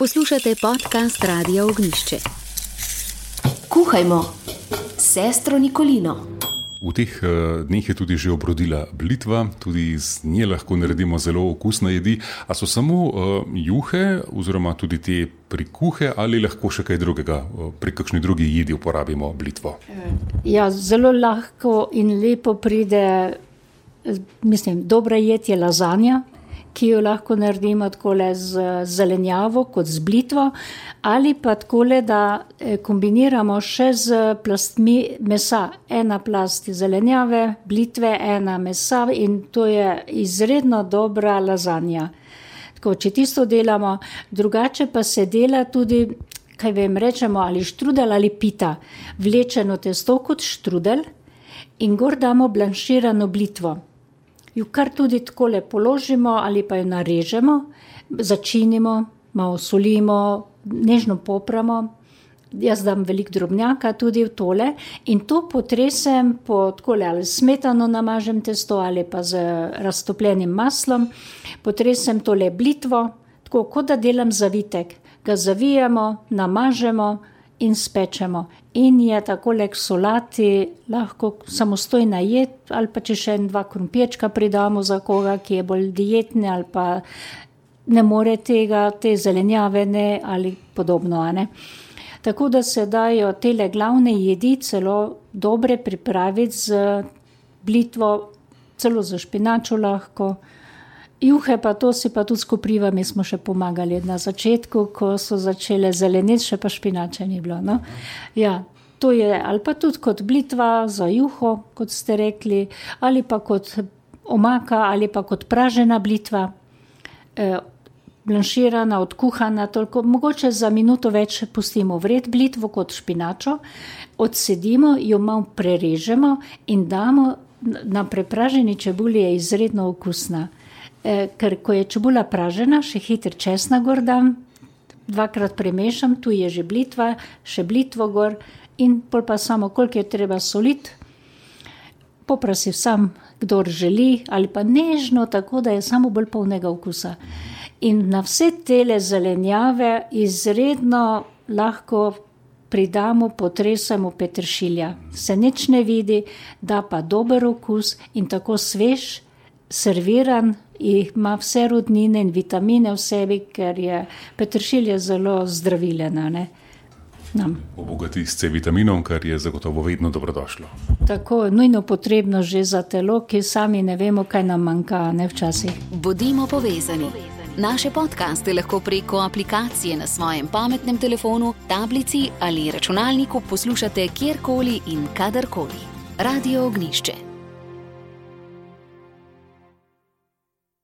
Poslušate podcast Radia Ognjišče. Kuhajmo s sestro Nikolino. V teh dneh je tudi že obrodila blitva, tudi z nje lahko naredimo zelo okusne jedi. A so samo juhe oziroma tudi te prikuhe ali lahko še kaj drugega, pri kakšni drugi jedi uporabimo blitvo? Ja, zelo lahko in lepo pride, dobra jed je lazanja, ki jo lahko naredimo takole z zelenjavo kot z blitvo, ali pa takole, da kombiniramo še z plastmi mesa. Ena plast zelenjave, blitve, ena mesa in to je izredno dobra lazanja. Tako, če tisto delamo, drugače pa se dela tudi, rečemo ali štrudel ali pita. Vlečeno testo kot štrudel in gor damo blanširano blitvo. Jo kar tudi takole položimo ali pa jo narežemo, začinimo, malo solimo, nežno popramo. Jaz dam veliko drobnjaka tudi v tole in to potresem po takole ali smetano namažem testo ali pa z raztopljenim maslom. Potresem tole blitvo, tako kot da delam zavitek. Ga zavijamo, namažemo in spečemo. In je takole k solati lahko samostojna jed, ali pa če še 2 krompirčka pridamo za koga, ki je bolj dietni ali pa ne more tega, te zelenjave ne ali podobno. Ne? Tako da se dajo tele glavne jedi celo dobre pripraviti z blitvo, celo za špinačo lahko. Juhe pa to si pa tudi s koprivami smo še pomagali na začetku, ko so začele zeleniti, še pa špinače ni bilo. No? Ja, to je ali pa tudi kot blitva za juho, kot ste rekli, ali pa kot omaka, ali pa kot pražena blitva, blanširana, odkuhana, toliko, mogoče za minuto več pustimo vred blitvo kot špinačo, odsedimo, jo malo prerežemo in damo na prepraženi čebuli, je izredno okusna. Ker ko je čebula pražena, še hitro česna gor dam, 2-krat premešam, tu je že blitva, še blitvo gor in pol pa samo, koliko je treba soliti. Poprosi sam, kdor želi, ali pa nežno, tako da je samo bolj polnega okusa. In na vse tele zelenjave izredno lahko pridamo, potresemo peteršilja. Se nič ne vidi, da pa dober okus in tako svež, serviran, ima vse rodnine in vitamine v sebi, ker je peteršilj zelo zdravilen. Obogati s C-vitaminom, kar je zagotovo vedno dobrodošlo. Tako, nujno potrebno že za telo, ki sami ne vemo, kaj nam manjka, ne včasih. Bodimo povezani. Naše podcaste lahko preko aplikacije na svojem pametnem telefonu, tablici ali računalniku poslušate kjerkoli in kadarkoli. Radio Ognjišče.